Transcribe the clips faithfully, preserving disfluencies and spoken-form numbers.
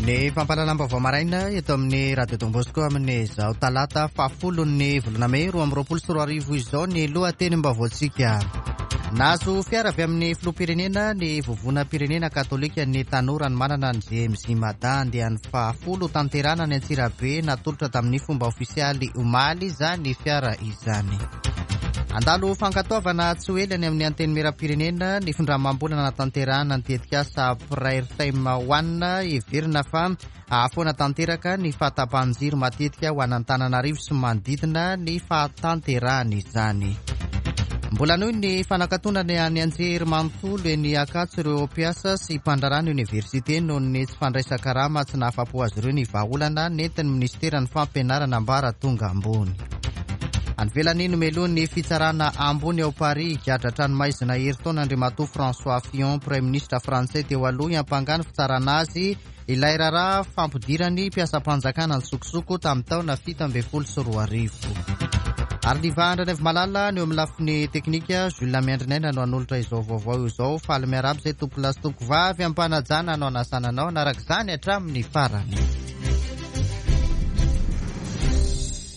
Ny fampahalalam-baovao maraina eto amin'ny Radio Don Bosco amin'izao talata fahafolon'ny volana mey roa amby roapolo sy roa arivo izao ny lohatenim-baovaontsika. Nahazo fiara avy amin'ny filoham-pirenena ny vovonam-pirenena katolika ny tanora ny manana ny J M J Mada andiany fahafolo tanterana ny Antsirabe natolotra tamin'ny fomba ofisialy omaly izany fiara izany. Andalo fankatoavana tsy ho ela any amin'ny antenimieram-pirenena ny findramam-bolana natanterahana ny tetikasa Prayer Time One heverina fa ahafoana tanteraka ny fahatapahan-jiro matetika ho an'Antananarivo sy manodidina ny fahatanterahana izany. Mbola noho ny fanakatonana ny anjery manontolo eny Ankatso ireo mpiasa sy mpandraharaha ny oniversite noho ny tsy fandraisan-karama tsy nahafapo azy ireo ny vahaolana nentin'ny minisiteran'ny fampianarana ambaratonga ambony. Any ivelany nomelohin'ny fitsarana ambony ao Paris higadra tranomaizina herintaona Andriamatoa François Fillon, Premier ministre frantsay teo aloha, hiampangany fitsarana azy ilay raharaha fampidirany mpiasam-panjakana nitsokosoko tamin'ny taona fito ambin'ny folo sy roa arivo. Ary ny vahandranevo malala ny eo amin'ny lafiny teknika Jules Miandrinaina no hanolotra izao vaovao izao. Faly miarahaba izay tompolahy sy tompovavy ampanajana no anasana anao hanaraka izany hatramin'ny farany.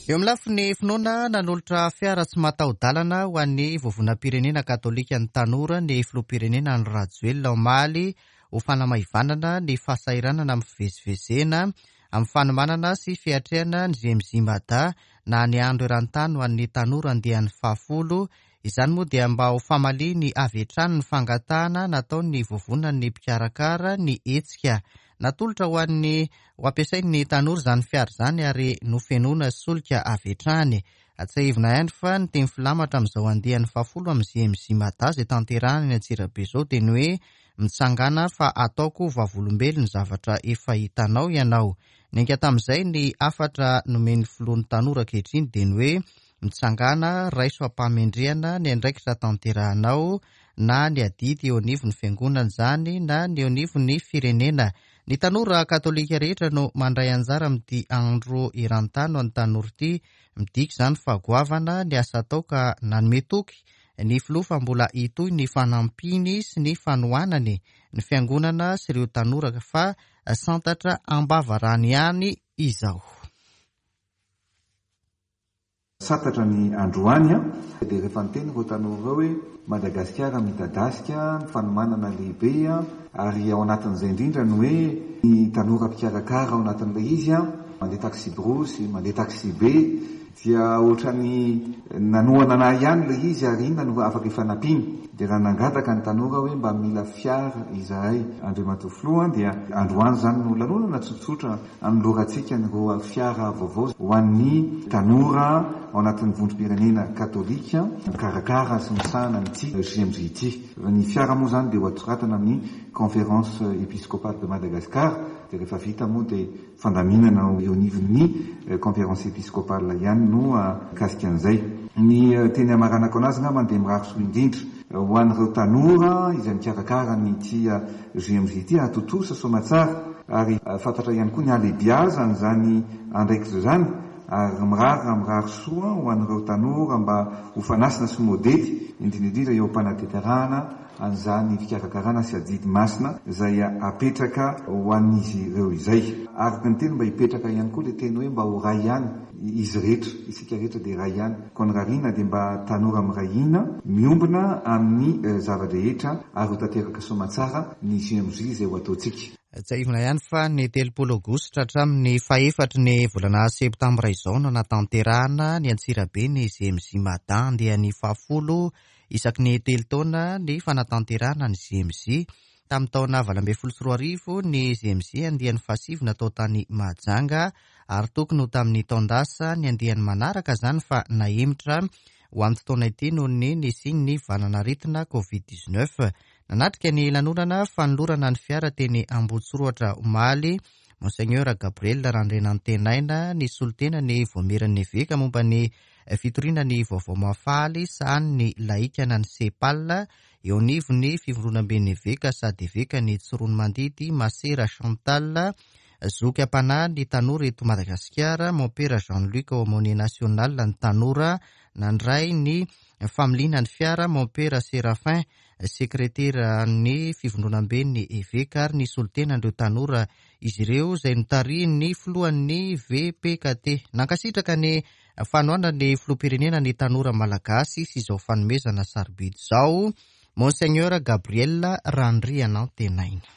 Eo amin'ny lafiny finoana nanolotra fiara tsy mataho-dalana ho an'ny vovonam-pirenena katolika ny tanora ny filoham-pirenena Andry Rajoelina omaly ho fanamaivanana ny fahasahiranana amin'ny fivezivezena amin'ny fanomanana sy fiatrehana ny J M J Mada na ny andro eran-tany ho an'ny tanora andiany fahafolo. Izany moa dia mba ho famaliany avy hatrany ny fangatahana nataon'ny vovonan'ny mpikarakara ny hetsika. Natolotra ho an'ny ho ampiasain'ny tanora izany fiara izany ary nofenoina solika avy hatrany. Atsiahivina ihany fa ny teny filamatra amin'izao andiany fahafolo amin'ny J M J Mada izay tanterahana eny Antsirabe izao dia ny hoe mitsangana fa ataoko vavolombelona ny zavatra efa hitanao ianao. Niainga tamin'izay ny hafatra nomen'ny filohan'ny tanora ankehitriny dia ny hoe mitsangana raiso am-pahamendrehana ny andraikitra tanterahanao na ny adidy eo anivon'ny fiangonana izany na ny eo anivon'ny firenena. Ny tanora katolika rehetra no mandray anjara amin'ity andro eran-tany ho an'ny tanora ity. Midika izany fa goavana ny asa atao ka nanome toky ny filoha fa mbola hitohy ny fanampiany sy ny fanohanany ny fiangonana sy ireo tanora fa santatra am-bavarano ihany izao. Santatra ny androany dia rehefa niteny ireo tanora ireo hoe Madagasikara midadasika ny fanomanana lehibe ary ao anatin'izay indrindra ny hoe ny tanora mpikarakara ao anatin'ilay izy mandeha taxi-brousse, mandeha taxi-be dia ohatrany nanohana anahy ihany ilay izy ary inona no afaka ifanampiana. Dia raha nangataka ny tanora hoe mba mila fiara izahay Andriamatoa Filoha dia androany izany no lanonana tsotsotra anolorantsika ny roa fiara vaovao ho an'ny tanora ao anatin'ny vondrom-pirenena katolika mikarakara sy misahana an'ity J M J ity. Ny fiara moa izany dia ho atoratana amin'ny Conférence épiscopale de Madagascar dia rehefa vita moa dia fandaminana eo anivon'ny Conférence épiscopale ihany no mikasika an'izay. Ny teny amaranako anazy angamba dia mirary soa indrindra ho an'ireo tanora izay mikarakara an'ity J M J ity hahatontosa soamatsara ary fantatra ihany koa ny halehibiazan'izany andraikitra izany ary mirary mirary soa ho an'ireo tanora mba ho fanasina sy modely indrindra indrindra eo am-panatanterahana an'izany fikarakarana sy adidy masina izay apetraka ho an'izy ireo izay. Araka ny teny mba hipetraka ihany koa ilay teny hoe mba ho ray ihany izy rehetra, isika rehetra dia ray ihany. Koa ny rariana dia mba tanora miray hina, miombona amin'ny zava-drehetra ary ho tanteraka soamatsara ny J M J izay ho ataontsika. Tsiahivina ihany fa ny telopolo aogositra hatramin'ny fahefatry ny volana septambra izao no natanterahana ny Antsirabe ny J M J Mada andiany fahafolo isaky ny telo taona ny fanatanterahana ny J M J. Tamin'ny taona valo ambin'ny folo sy roa arivo ny J M J andiany fahasivy natao tany Mahajanga ary tokony ho tamin'ny taon-dasa ny andiany manaraka izany fa nahemotra ho an'ity taona ity noho ny nisian'ny valanaretina Covid dix-neuf. Nanatrika ny lanonana fanolorana ny fiara teny Ambohitsorohitra omaly Monseigneur Gabriel Randrianantenaina ny solontena ny voamieran'ny eveka momba ny fitoriana ny vaovao mahafaly sahanin'ny laika na ny SEPAL eo anivon'ny fivondronamben'ny eveka sady eveka ny Tsiroanomandidy Masera Chantal zoky am-panahy ny tanora eto Madagasikara Mompera Jean-Luc aumônier national ny tanora nandray ny familiana ny fiara Mompera Séraphin Sekreteran'ny Fivondronamben'ny Eveka ary ny solontenan'ireo tanora izy ireo izay notarihin'ny filohan'ny V P K T. Nankasitraka ny fanohanan'ny filoham-pirenena ny tanora malagasy sy izao fanomezana sarobidy izao Monseigneur Gabriel Randrianantenaina.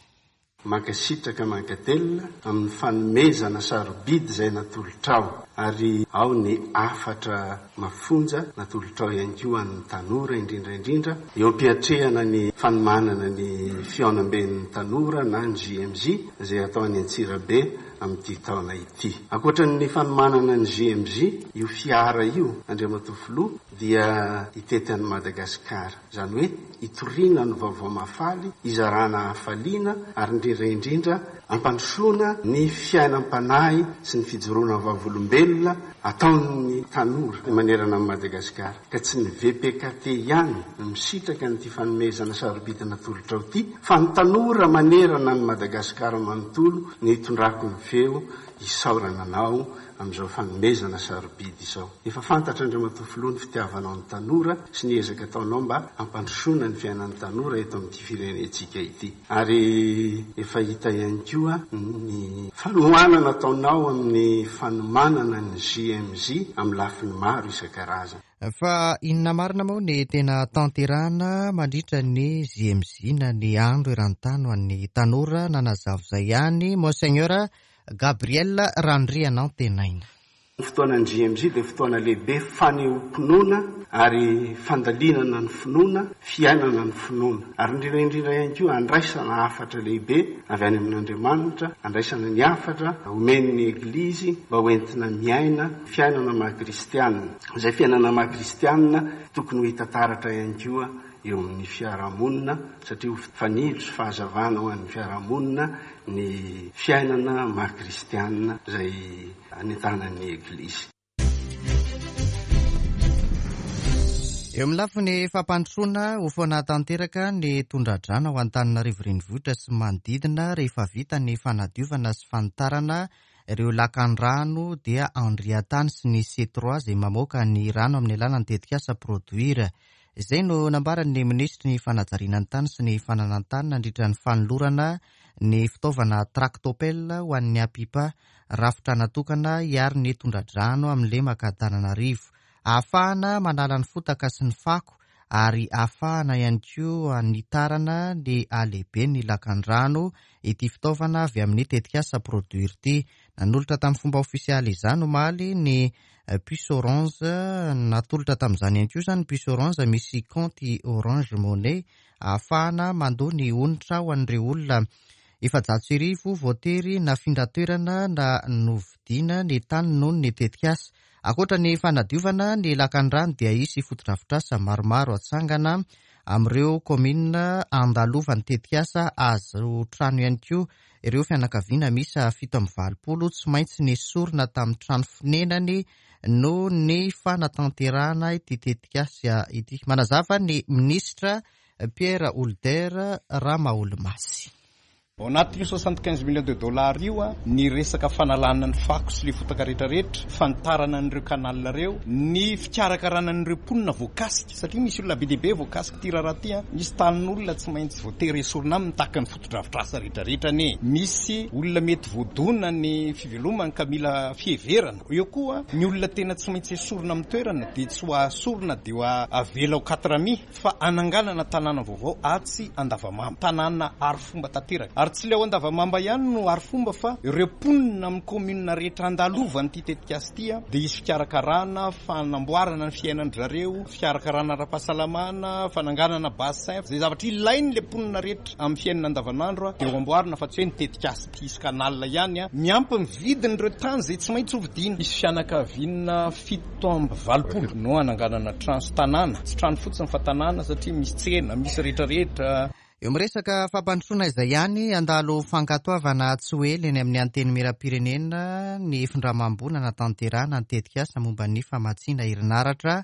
Mankasitraka, mankatelina amin'ny fanomezana sarobidy izay natolotrao, ary ao ny hafatra mafonja natolotrao ihany koa an'ny tanora, indrindraindrindra eo am-piatrehana ny fanomanana ny fihaonamben'ny tanora na ny J M J izay atao any Antsirabe amin'ity taona ity. Ankoatra ny fanomanana ny J M J, io fiara io, Andriamatoa Filoha, dia hitety an'i Madagasikara, izany hoe hitoriana ny vaovao mahafaly, hizarana hafaliana, ary indrindraindrindra ampandrosoana ny fiainam-panahy sy ny fijoroana vavolombelona ataon'ny tanora manerana amin'i Madagasikara. Ka tsy ny V P K T ihany no misitraka nyity fanomezana sarobidy natolotrao ity, fa ny tanora manerana ny Madagasikara manontolo ny hitondrako ny feo isaorana anao amin'izao fanomezana sarobidy izao. Efa fantatra, Andriamatoa Filoha, ny fitiavanao ny tanora sy ny ezaka ataonao mba hampandrosoana ny fiainan'ny tanora eto amin'ity firenentsika ity, ary efa hita ihany koa ny fanohanana ataonao amin'ny fanomanana ny J M J amin'ny lafiny maro isan-karazany. Fa inona marina moa ny tena tanterahana mandritra ny J M J na ny andro eran-tany ho an'ny tanora? Nanazava izay ihany Monseigneur Gabriel Randrianantenaina. Ny fotoanany J M J dia fotoana lehibe fanehoam-pinoana ary fandalinana ny finoana, fiainana ny finoana, ary indrindraindrindra ihany koa andraisana hafatra lehibe avy any amin'Andriamanitra, andraisana ny hafatra omen'ny Eglizy mba hoentina miaina fiainana mahakristianina. Izay fiainana mahakristianina tokony ho hita taratra ihany koa eo amin'ny fiarahamonina, satria ho fanilo sy fahazavana ho an'ny fiarahamonina ny fiainana mahakristianina izay anentanan'ny Eglizy. Eo amin'ny lafiny fampandrosoana, ho foana tanteraka ny tondradrano ao Antananarivo renivohitra sy manodidina rehefa vita ny fanadiovana sy fanitarana ireo lakan-drano dia Andriantany sy ny C trois izay mamoaka ny rano amin'ny alalan'ny tetikasa Produir. Izay no nambaran'ny minisitry ny fanajariana ny tany sy ny fananan-tany nandritra ny fanolorana ny fitaovana tractopelle ho an'ny APIPA, rafitra natokana hiaro ny tondradrano amin'ny lemaka Antananarivo, ahafahana manala ny fotaka sy ny fako ary ahafahana ihany koa anitarana ny alehibe ny lakan-drano ity fitaovana avy amin'ny tetikasa Produir ity. Nanolotra tamin'ny fomba ofisialy izany omaly ny puce Orange. Natolotra tamin'izany ihany koa zany puce Orange misy compte Orange Money ahafahana mandoa ny onitra ho an'ireo olona efajato sy arivo voatery nafindra toerana na novidiana ny tany noho ny tetikasa. Ankoatra ny fanadiovana ny lakan-drano dia hisy fotodrafitrasa maromaro atsangana amin'ireo komina andalovan'ny tetikasa. Azo trano ihany koa ireo fianakaviana miisa fito amby valopolo tsy maintsy nesorina tamin'ny trano fonenany no ny fanatanterahana ity tetikasa ity. Manazava ny minisitra Pierre Houlder Ramaholonmasy. Ao anatin'io soixante quinze millions de dollars io a ny resaka fanalana ny fako sy le fotaka rehetrarehetra, fanitarana an'ireo canal reo, ny fikarakarana an'ireo mponina voakasika, satria misy olona be dehibe voakasika ty raharaha ty a. Misy tanin'olona tsy maintsy voatery esorina aminy tahaka ny fotodrafitrasa rehetrarehetra ane. Misy olona mety voadona ny fivelomany ka mila fiheverana eo koa. Ny olona tena tsy maintsy esorina amin'ny toerana de tsy ho asorina de ho avela ao quatre mi, fa ananganana tanàna vaovao atsy Andavamamba, tanàna ary fomba tanteraka. Ary tsy le ao Andavamamba ihany no ary fomba, fa ireo mponina amin'ny commune rehetra andalovany ty tetikasy ty a de hisy fikarakarana, fanamboarana ny fiainan-dry zareo, fikarakarana ara-pahasalamana, fananganana bassin, zay zavatra ilainy le mponina rehetra amin'ny fiainana andavanandro a de ho amboarina, fa tsy hoe ny tetikasy ty isy canal ihany a miampy ny vidin'ireo tany zay tsy maintsy hovidiana. Misy fianakaviana fito amby valopolo no ananganana trano sy tanàna, tsy trano fotsiny fa tanàna, satria misy tsena, misy rehetrarehetra. Eo miresaka fampandrosoana izay ihany, andalo fankatoavana tsy ho ela eny amin'ny Antenimieram-pirenena ny findramam-bola natanterahana ny tetikasa momba ny famatsiana herinaratra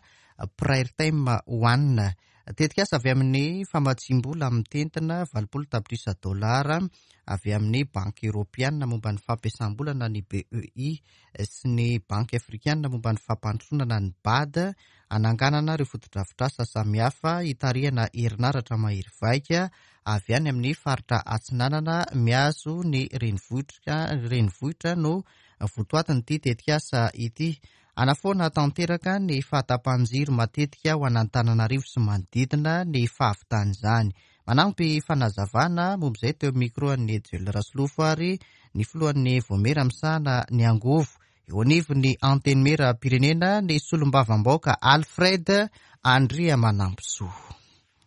Prime One. Tetikasa avy amin'ny famatsiam-bola mitentina valopolo tapitrisa dolara avy amin'ny Banky Eoropeana momba ny fampiasam-bola na ny B E I sy ny Banky Afrikana momba ny fampandrosoana na ny B A D, hananganana ireo fotodrafitrasa samihafa hitarihana herinaratra mahery vaika avy any amin'ny faritra atsinanana mihazo ny renivohitra, renivohitra no votoatin'ity tetikasa ity. Anafoana tanteraka ny fahatapahan-jiro matetika ho an'Antananarivo sy manodidina ny fahavitan'izany. Manampy fanazavana momba izay teo amin'ny micro an'ny Joel Rasolofo ary ny filohan'ny Vaomiera misahana ny angovo eo anivon'ny Antenimieram-pirenena ny solombavambahoaka Alfred Andriamanampisoa.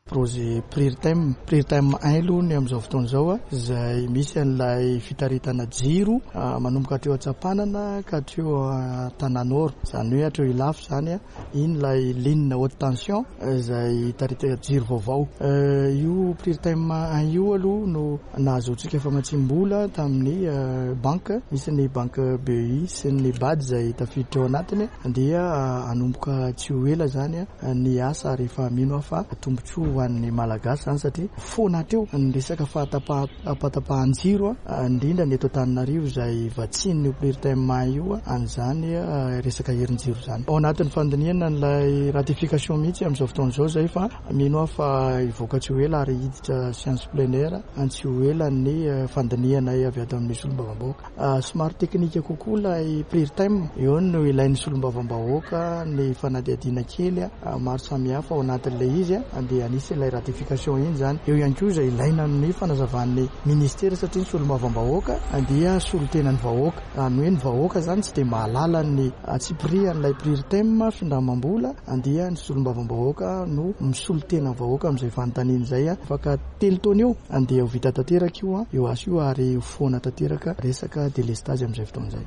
Projet Prirtem, Prirtem un aloha ny amin'izao fotoana izao, izay misy an'ilay fitaritana jiro manomboka hatreo Antsapanana ka hatreo Tananoro, izany hoe hatreo Ilafy izany, iny ilay ligne haute tension izay itaritana jiro vaovao. Io Prirtem un io aloha no nahazoantsika famatsiam-bola tamin'ny banque, misy ny banque B E I sy ny B A D izay tafiditra ao anatiny, dia hanomboka tsy ho ela izany ny asa rehefa mino aho fa tombontsoa ho an'ny Malagasy izany, satria foana hatreo ny resaka fahatapahan-jiro, indrindra ny eto Antananarivo izay vatsian'ny Prirtem un io an'izany resaka herin-jiro izany. Ao anatin'ny fandinihana an'ilay ratification mihitsy amin'izao fotoana izao izay, fa mino aho fa hivoaka tsy ho ela ary hiditra séance plénière tsy ho ela ny fandinihana avy ato amin'ny solombavambahoaka. Somary teknika kokoa ilay Prirtem, eo no ilain'ny solombavambahoaka ny fanadihadiana kely maro samihafa ao anatin'ilay izy, dia anisy ilay ratification iny izany. Eo ihany koa izay ilaina amin'ny fanazavan'ny ministera, satria ny solombavambahoaka dia solotenan'ny vahoaka, izany hoe ny vahoaka izany tsy dia mahalala ny antsipirian'ilay Prirtem findramam-bola, dia ny solombavambahoaka no misolo tena vahoaka amin'izay fanontaniana izay. Afaka telo taona eo dia ho vita tanteraka io io asa io ary ho foana tanteraka resaka délestage amin'izay fotoana izay.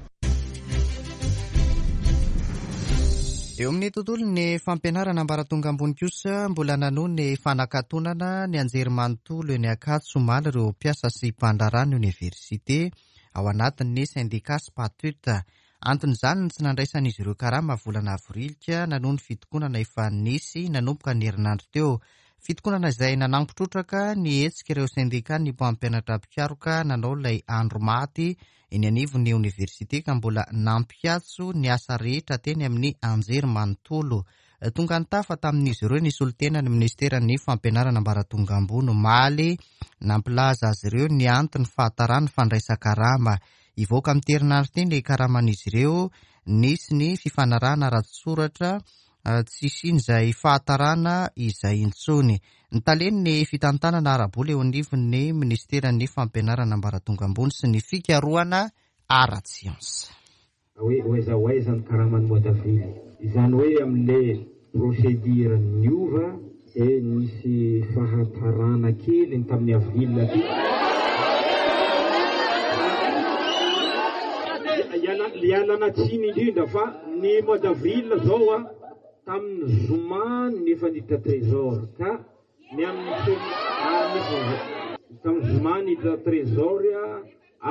Eo amin'ny tontolon'ny fampianarana ambaratonga ambony kosa, mbola nanohy ny fanakatonana ny anjerimanontolo eny Ankatso omaly ireo mpiasa sy mpandraharaha ny oniversite ao anatin'ny syndicat Spatut. Anton'izany ny tsy nandraisan'izy ireo karama volana avrilika nanohy ny fitokonana efa nisy nanomboka ny herinandro teo. Fitokonana izay nanampy trotraka ny hetsika ireo syndicat ny mpampianatra mpikaroka nanao ilay andro maty eny anivon'ny oniversite ka mbola nampikatso ny asa rehetra teny amin'ny anjerimanontolo. Tonga nitafa tamin'izy ireo ny solotenan'ny ministeran'ny fampianarana ambaratonga ambony omaly, nampilaza azy ireo ny antony fahataran'ny fandraisan-karama. Hivoaka amin'ny herinandro ity ny karaman'izy ireo, nisy ny fifanarahana ara-tsoratra tsy hisian'izay fahatarana izay intsony. Ny talen'ny fitantanana ara-bola eo anivon'ny ministeran'ny fampianarana ambaratonga ambony sy ny fikarohana ara-tsiansa. Hoe ho aiza ho aiza ny karaman'ny mois d'avril. Izany hoe amin'ilay procédure niova dia nisy fahatarana kely ny tamin'ny avril ty. Ialana tsiny indrindra fa ny mois d'avril zao a tamin'ny zoma ny efa niditra trésor ka ny amin'ny tamin'ny zoma niditra trésor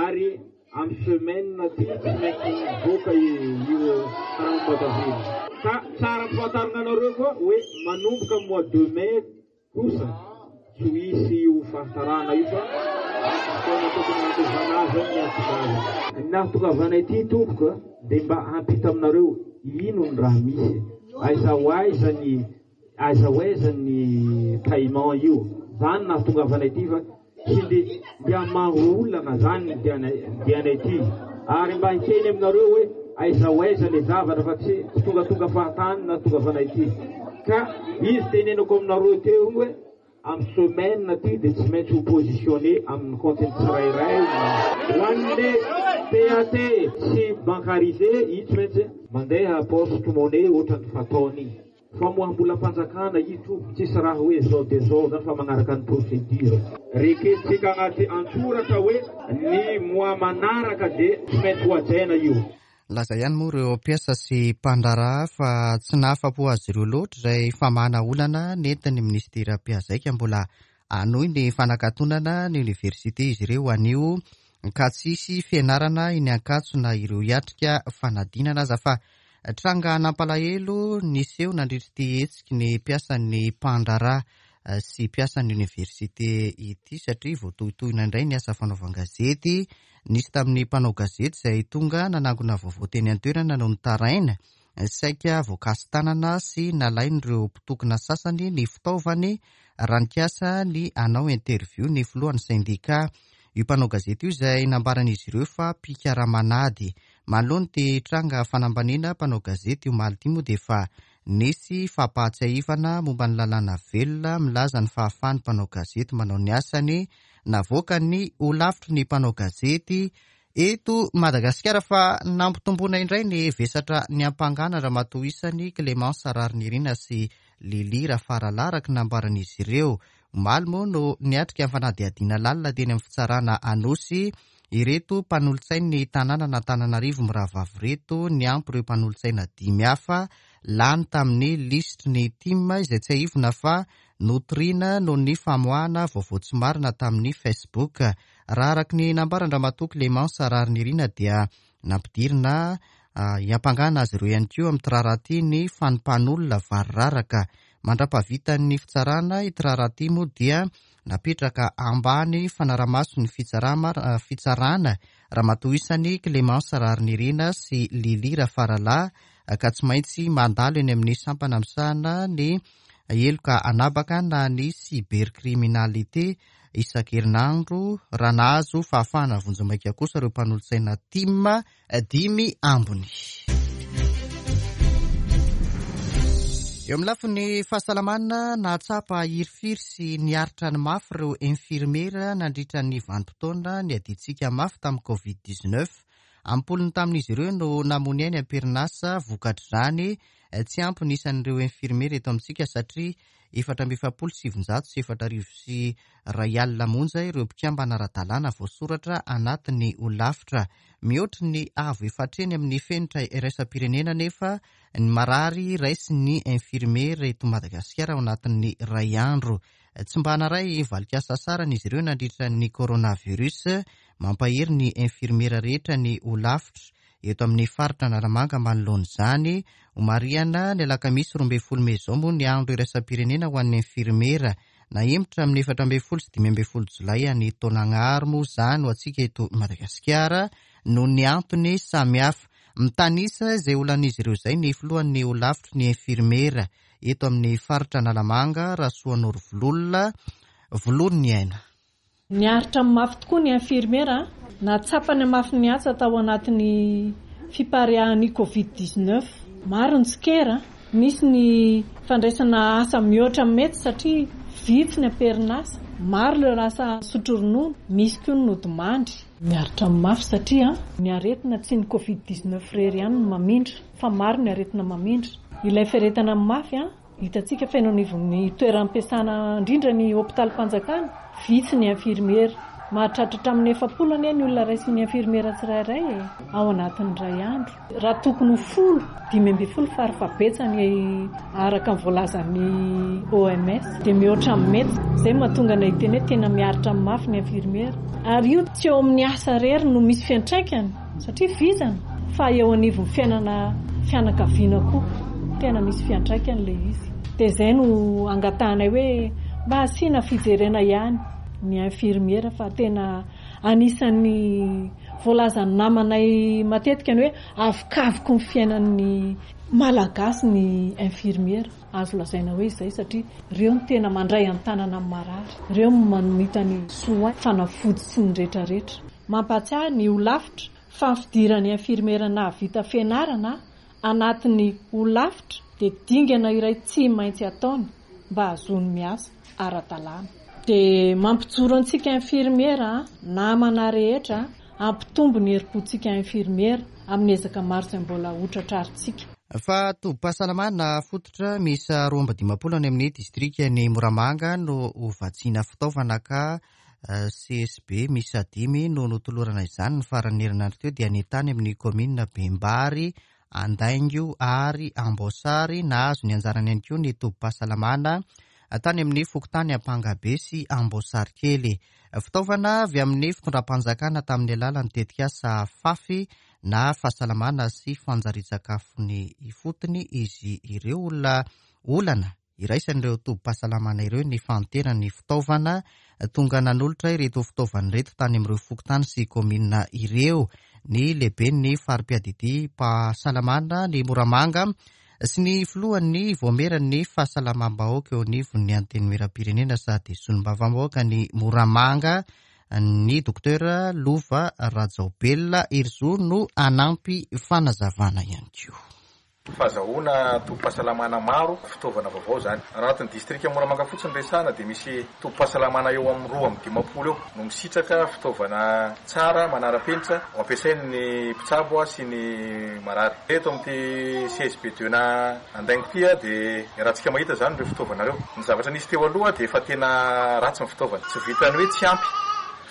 ary amin'ny semaine ty tsy maintsy mivoaka io karaha mois d'avril. Ka tsara ampifantarina anareo koa hoe manomboka mois de mai kosa tsy ho hisy io fahatarana io fa fotoana tokony handoavana azy ny antoka. Ny nahatongavana ity tompoko dia mba hampita aminareo ino ny raha misy, aiza ho aiza ny aiza ho aiza ny paiement io. Zany nahatongavana ity fa tsy dia dia maro olana zany ny diana ity, ary mba hiteny aminareo hoe aiza ho aiza le zavatra fa tsy tongatonga fahatany nahatongavana ity. Ka izy tenenako aminareo teo hoe amin'ny semaine ty dia tsy maintsy ho positionné amin'ny compte tsirairay. Ho an'le P A T sy bancarisé io tsy maintsy mandeha poste monnaie ohatran'ny fataony. Famoaham-bolam-panjakana io tompoko, tsisy raha hoe zao dia zao zany fa manaraka ny procédure. Rekentsika anaty antsoratra hoe ny mois manaraka dia tsy maintsy ho hajaina io. Laza ihany moa ireo mpiasa sy mpandraharaha fa tsy nahafa-po azy ireo loatra izay famahana olana nentin'ny ministera mpiazaika. Mbola hanohy ny fanakatonana ny oniversite izy ireo anio ka tsy hisy fianarana eny Ankatso na ireo hiatrika fanadinana aza fa Tranga nampalahelo niseho nandritra ity hetsiky ny mpiasan'ny mpandraharaha sy mpiasan'ny oniversite ity satria voatohitohina indray ny asa fanaovan-gazety. Nisy tamin'ny mpanao gazety izay tonga nanangona vaovao teny an-toerana no nitaraina, saika voakasi-tanana sy nalain'ireo mpitokona sasany ny fitaovany raha nikasa ny hanao interview ny filohan'ny sendika. Io mpanao gazety io izay nambaran'izy ireo fa mpikaramanady. Manoloana ity tranga fanambaniana mpanao gazety omaly ity moa dia efa nisy fampahatsiahivana momba ny lalàna velona milaza ny fahafahan'ny mpanao gazety manao ny asany navoakan'ny holafitry ny mpanao gazety eto Madagasikara, fa nampitomboana indray ny vesatra niampangana Ramatoa isany Clémence Raharinirina sy Lily Rafaralahy araka ny nambaran'izy ireo. Omaly moa no niatrika ny fanadihadiana lalina teny amin'ny fitsarana Anosy ireto mpanolotsain'ny tanànan'Antananarivo mirahavavy ireto, niampy ireo mpanolotsaina dimy hafa lany tamin'ny lisitry ny T I M izay tsiahivina fa notoriana noho ny famoahana vaovao tsy marina tamin'ny Facebook. Raha araka ny nambaran-dRamatoa Clémence Raharinirina dia nampidirina hiampangana azy ireo ihany koa amin'ny raharaha ity ny fanompan'olona variraraka. Mandra-pahavitan'ny fitsarana ity raharaha ity moa dia napetraka ambany fanarahamaso ny fitsarana fitsarana Ramatoa isany Clémence Raharinirina sy Lily Rafaralahy, ka tsy maintsy mandalo eny amin'ny sampana misahana ny heloka anabaka na ny cybercriminalité isan-kerinandro, raha nahazo fahafahana vonjimaika kosa ireo mpanolotsaina T I M dimy ambony. Eo amin'ny lafiny fahasalamana, nahatsapa hirifiry sy niaritra ny mafy ireo infirmiera nandritra ny vanim-potoana niadiantsika mafy tamin'ny covid dix-neuf. Ampolony tamin'izy ireo no namony ainy am-perinasa. Vokatr'izany, tsy ampy ny isan'ireo infirmiera eto amintsika satria efatra amby efapolo sy sivinjato sy efatra arivo sy iray alina monja ireo mpikambana ara-dalàna voasoratra anatin'ny holafitra. Mihoatra ny avo efatra eny amin'ny fenitra iraisam-pirenena nefa ny marary raisin'ny infirmiera eto Madagasikara ao anatin'ny iray andro. Tsy mba naharay valin-kasasarana izy ireo nandritra ny coronavirus. Mampahery ny infirmiera rehetra ny holafitra eto amin'ny faritra Analamanga manoloana izany. Homarihana ny alakamisy roa ambin'ny folo mey izao moa ny andro iraisam-pirenena ho an'ny infirmiera. Nahemotra amin'ny efatra ambin'ny folo sy dimy ambin'ny folo jolay any Taolagnaro moa izany ho antsika eto Madagasikara noho ny antony samihafa. Mitanisa izay olan'izy ireo izay ny filohan'ny holafitry ny infirmiera eto amin'ny faritra Analamanga, Rasoanoro Vololona Volony Aina. Niaritra mafy tokoa ny infirmiera, nahatsapa ny mafy ny asa tao anatin'ny fipariahan'ny covid dix-neuf. Maro ny tsikera, nisy ny fandraisana asa mihoatra mety satria vitsy ny am-perinasa, maro ireo lasa nisotro ronono, misy koa ny nodimandry. Miaritra mafy satria ny aretina tsy ny covid dix-neuf irery ihany no mamindra fa maro ny aretina mamindra. Ilay fiaretana mafy hitantsika fa eny anivon'ny toeram-piasana, indrindra ny hopitalim-panjakana, vitsy ny infirmiera. Mahatratra hatramin'ny efapolo anie ny olona raisin'ny infirmiera tsirairay e ao anatin'ny iray andro, raha tokony ho folo, dimy ambin'ny folo farafahabetsany araka ny voalazan'ny O M S, dia mihoatra amin'ny mety. Izay mahatonga anay hiteny hoe tena miaritra mafy ny infirmiera. Ary io tsy eo amin'ny asa irery no misy fiantraikany satria vizana, fa eo anivon'ny fiainana fianakaviana koa tena misy fiantraikany ilay izy. Dia izay no angatahanay hoe mba asiana fijerena ihany ny infirmiera, fa tena anisan'ny voalazan'ny namanay matetika ny hoe avokavoky ny fiainan'ny Malagasy ny infirmiera. Azo lazaina hoe izay satria ireo no tena mandray an-tanana amin'ny marary, ireo no manomita ny soin, fanafody sy ny rehetrarehetra. Mampatsiahy ny holafitra fa ny fidiran'ny infirmiera nahavita fianarana anatin'ny holafitra dia dingana iray tsy maintsy ataony mba hahazoany miasa ara-dalàna. Dia mampijoro antsika infirmiera namana rehetra, hampitombo ny herim-pontsika infirmiera amin'ny ezaka maro izay mbola ho tratrarintsika. Fa tobim-pahasalamana fototra miisa roa amby dimampolo any amin'ny distrika ny Moramanga no hovatsiana fitaovana, ka C S B miisa dimy no notolorana izany ny faran'ny herinandro teo, dia ny tany amin'ny kaominina Bembary, Andaingo ary Amboasary. Nahazo ny anjarany ihany koa ny tobim-pahasalamana tany amin'ny fokontany Ampangabe sy Amboasary kely. Fitaovana avy amin'ny fitondram-panjakana tamin'ny alalan'ny tetikasa FAFI na fahasalamana sy fanjarian-tsakafony ifotony izy ireo. Olona olana iraisan'ireo tobim-pahasalamana ireo ny fahanteran'ny fitaovana. Tonga nanolotra ireto fitaovana ireto tany amin'ireo fokontany sy kaominina ireo ny lehiben'ny fari-piadidiam-pahasalamana ny Moramanga sy ny filohan'ny vaomieran'ny fahasalamam-bahoaka eo anivon'ny Antenimieram-pirenena sady solombavambahoaka ny Moramanga, ny Docteur Lova Rajaobelina Herizo, no anampy fanazavana ihany koa. Fahazahoana tobim-pahasalamana maro, fitaovana vaovao zany. Raha anatin'ny distrika Moramanga fotsiny resahana dia misy tobim-pahasalamana eo amin'ny roa amby dimampolo eo no misitraka fitaovana tsara manara-penitra ho ampiasain'ny mpitsabo sy ny marary. Eto amin'ity C S B deux na Andaingo ity dia raha mahita zany ireo fitaovana ireo. Ny zavatra nisy teo aloha dia efa tena ratsy ny fitaovana. Tsy vitany hoe tsy ampy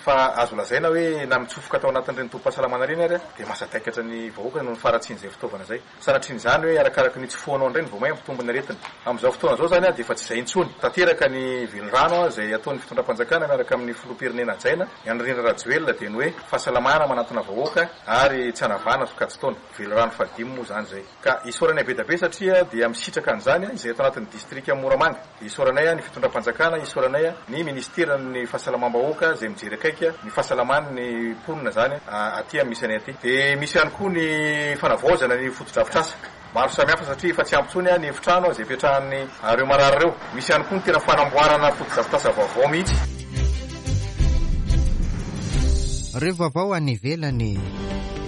fa azo lazaina hoe na mitsofoka tao anatin'ireny tobim-pahasalamana ireny ary dia mahasadaikatra ny vahoaka noho ny faharatsian'izay fitaovana zay. Sanatrian'izany hoe arakaraka ny itsofohanao indray ny vao may mampitombo ny aretina. Amin'izao fotoana zao zany a dia efa tsy izay intsony. Tanteraka ny velirano izay ataon'ny fitondram-panjakana miaraka amin'ny filoham-pirenena hajaina ny Andry Rajoelina, dia ny hoe fahasalamana manatona vahoaka ary tsy anavahana sokajin-taona. Velirano fahadimy moa zany zay. Ka isaoranay be dia be satria dia misitraka an'izany izay ato anatin'ny distrika Moramanga. Isaoranay ny fitondram-panjakana, isaoranay ny ministeran'ny fahasalamam-bahoaka izay mijery akaiky ny fahasalaman'ny mponina zany aty amin'ny misy anay aty. Dia misy ihany koa ny fanavaozana ny fotodrafitrasa maro samihafa satria efa tsy ampy intsony ny efitrano izay ipetrahan'ny ireo marary ireo. Misy ihany koa ny tena fanamboarana fotodrafitrasa vaovao mihitsy. Reo vaovao any ivelany: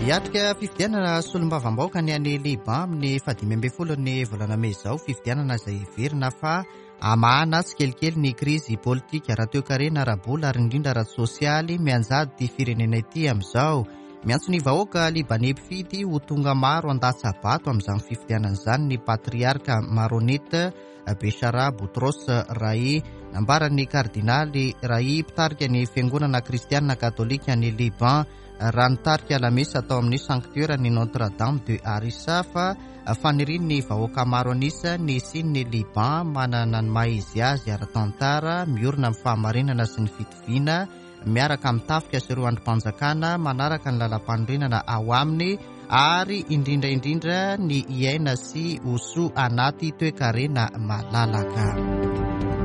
hiatrika fifidianana solombavambahoaka ny any Liban amin'ny fahadimy ambin'ny folo ny volana mey izao, fifidianana izay heverina fa hamahana tsikelikely ny krizy politika, ara-toekarena, ara-bola ary indrindra ara-tsosialy mianjady ty firenena ity amin'izao. Miantso ny vahoaka libaney mpifidy ho tonga maro handatsa-bato amin'izany fifidianana izany ny patriarka maronite Bechara Boutros Rai. Nambaran'ny kardinaly Rai, mpitarika ny fiangonana kristianina katolika ny Liban, raha nitarika lamesa atao amin'ny sanctuaire ny Notre Dame de Harissa, fa fanirian'ny vahoaka maro anisa ny hisian'ny Liban manana ny maha izy azy ara-tantara, miorina amin'ny fahamarinana sy ny fitoviana, miaraka amin'ny tafika sy ireo andrim-panjakana manaraka ny lalam-panorenana ao aminy, ary indrindra indrindra ny iaina sy ho soa anaty toekarena malalaka.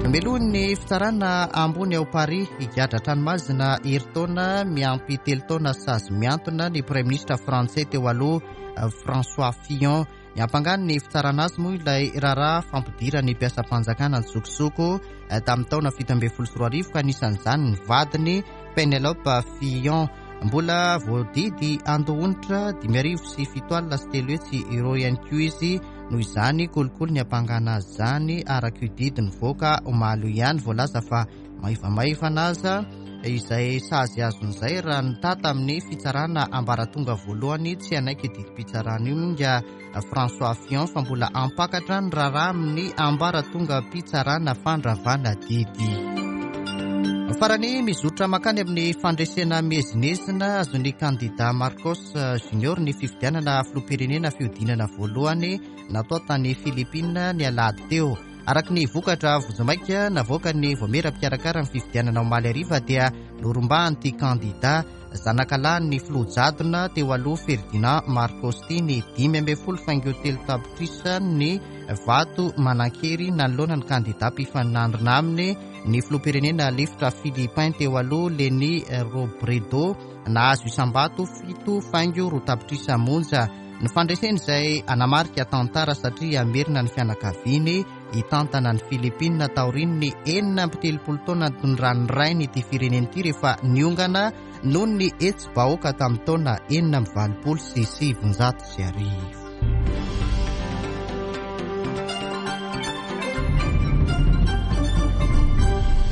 Melohin'ny fitsarana ambony ao Paris higadra an-tranomaizina herintaona miampy telo taona sazy miantona ny premier ministre frantsay teo aloha François Fillon. Niampangany ny fitsarana azy moa ilay raharaha fampidirany mpiasam-panjakana an-tsokosoko tamin'ny taona fito ambin'ny folo sy roa arivo, ka anisan'izany ny vadiny Penelope Fillon. Mbola voadidy handoa onitra dimy arivo sy fito alina sy telo hetsy euro ihany koa izy noho izany kolikoly niampangana azy zany. Araka io didy nivoaka omaly io ihany, voalaza fa maivamaivana aza izay sazy azon'izay raha nitata amin'ny fitsarana ambaratonga voalohany. Tsy hanaiky didim-pitsarana io nga François Fillon fa mbola hampakatra ny raharaha amin'ny ambaratonga mpitsarana fandravana didy farany. Mizotra makany amin'ny fandresena miezinezina azon'ny kandida Marcos Junior ny fifidianana filoham-pirenena fihodinana voalohany natao tany Philippine ny alahady teo. Araka ny vokatra vonjimaika navoaka ny vaomiera mpikarakara ny fifidianana omaly hariva, dia norombahan'ity kandida zanakalahy filoha jadona teo aloha Ferdinand Marcos ty ny dimy ambin'ny folo faingo telo tapitrisa ny vato manan-kery nanoloana ny kandida mpifanandrina aminy, ny filoham-pirenena lefitra philippin teo aloha Leni Robredo, nahazo isam-bato fito faingo roa tapitrisa monja. Ny fandreseny izay anamarika tantara satria hamerina ny fianakaviany hitantana ny Philippine taorian'ny enina amby telopolo taona nitondran'ny rainy ity firenena ity rehefa niongana noho ny hetsi-bahoaka tamin'ny taona enina amby valopolo sy sivinjato sy arivo.